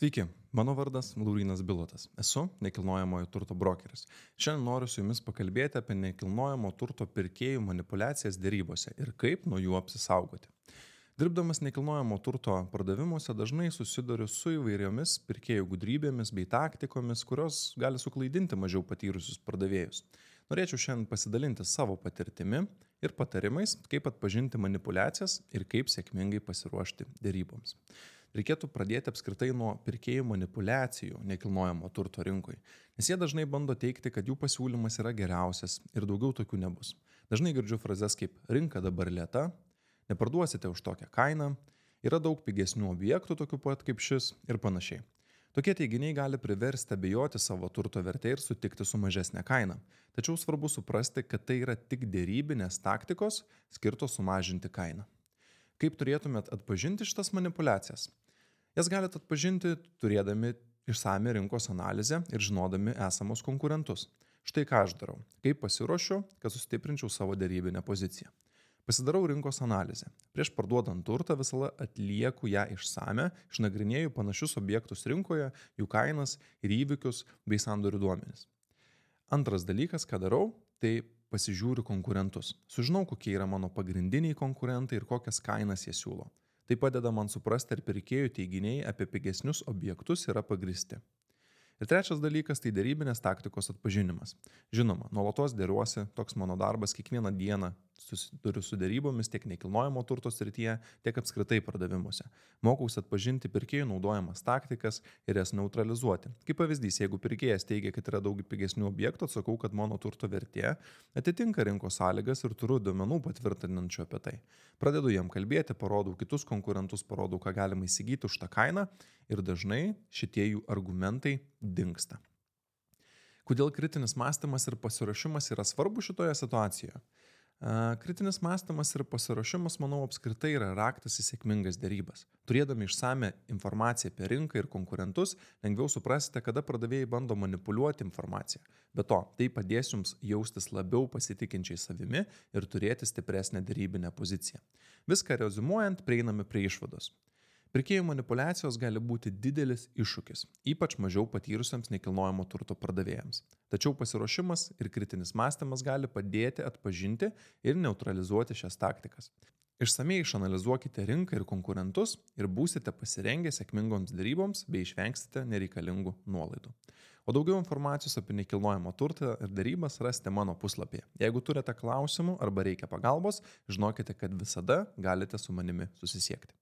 Sveiki, mano vardas Laurynas Bilotas. Esu nekilnojamojo turto brokeris. Šiandien noriu su jumis pakalbėti apie nekilnojamo turto pirkėjų manipulacijas dėrybose ir kaip nuo jų apsisaugoti. Dirbdamas nekilnojamo turto pardavimuose dažnai susiduriu su įvairiomis pirkėjų gudrybėmis bei taktikomis, kurios gali suklaidinti mažiau patyrusius pardavėjus. Norėčiau šiandien pasidalinti savo patirtimi ir patarimais, kaip atpažinti manipulacijas ir kaip sėkmingai pasiruošti dėryboms. Reikėtų pradėti apskritai nuo pirkėjų manipulacijų nekilnojamo turto rinkoje, nes jie dažnai bando teikti, kad jų pasiūlymas yra geriausias ir daugiau tokių nebus. Dažnai girdžiu frazes kaip rinka dabar lėta, neparduosite už tokią kainą, yra daug pigesnių objektų tokių pat kaip šis ir panašiai. Tokie teiginiai gali priversti abejoti savo turto vertę ir sutikti su mažesnė kaina. Tačiau svarbu suprasti, kad tai yra tik dėrybinės taktikos skirtos sumažinti kainą. Kaip turėtumėt atpažinti šitas manipulacijas? Jas galite atpažinti turėdami išsamią rinkos analizę ir žinodami esamus konkurentus. Štai ką aš darau. Kaip pasiruošiu, kad sustiprinčiau savo dėrybinę poziciją. Pasidarau rinkos analizę. Prieš parduodant turtą visada atlieku ją išsame, išnagrinėju panašius objektus rinkoje, jų kainas ir įvykius bei sandorių duomenis. Antras dalykas, ką darau, tai pasižiūriu konkurentus. Sužinau, kokie yra mano pagrindiniai konkurentai ir kokias kainas jie siūlo. Tai padeda man suprasti, ar pirkėjų teiginiai apie pigesnius objektus yra pagristi. Ir trečias dalykas tai dėrybinės taktikos atpažinimas. Žinoma, nuolatos dėriuosi, toks mano darbas, kiekvieną dieną susiduriu su dėrybomis tiek nekilnojamo turto srityje, tiek apskritai pardavimuose. Mokausi atpažinti pirkėjų naudojamas taktikas ir jas neutralizuoti. Kaip pavyzdys, jeigu pirkėjas teigia, kad yra daug pigesnių objektų, atsakau, kad mano turto vertė atitinka rinkos sąlygas ir turiu duomenų patvirtinančių apie tai. Pradedu jam kalbėti, parodau kitus konkurentus, parodau, ką galima įsigyti už tą kainą ir dažnai šitie jų argumentai dingsta. Kodėl kritinis mąstymas ir pasiruošimas yra svarbu šitoje situacijoje? Kritinis mąstymas ir pasiruošimas, manau, apskritai yra raktas į sėkmingas dėrybas. Turėdami išsame informaciją apie rinką ir konkurentus, lengviau suprasite, kada pardavėjai bando manipuliuoti informaciją. Be to, tai padės jums jaustis labiau pasitikinčiai savimi ir turėti stipresnę dėrybinę poziciją. Viską reziumuojant, prieiname prie išvados. Pirkėjų manipulacijos gali būti didelis iššūkis, ypač mažiau patyrusiems nekilnojamo turto pardavėjams. Tačiau pasiruošimas ir kritinis mąstymas gali padėti atpažinti ir neutralizuoti šias taktikas. Išsamiai išanalizuokite rinką ir konkurentus ir būsite pasirengę sėkmingoms dėryboms bei išvengsite nereikalingų nuolaidų. O daugiau informacijos apie nekilnojamo turtą ir dėrybas rasite mano puslapyje. Jeigu turite klausimų arba reikia pagalbos, žinokite, kad visada galite su manimi susisiekti.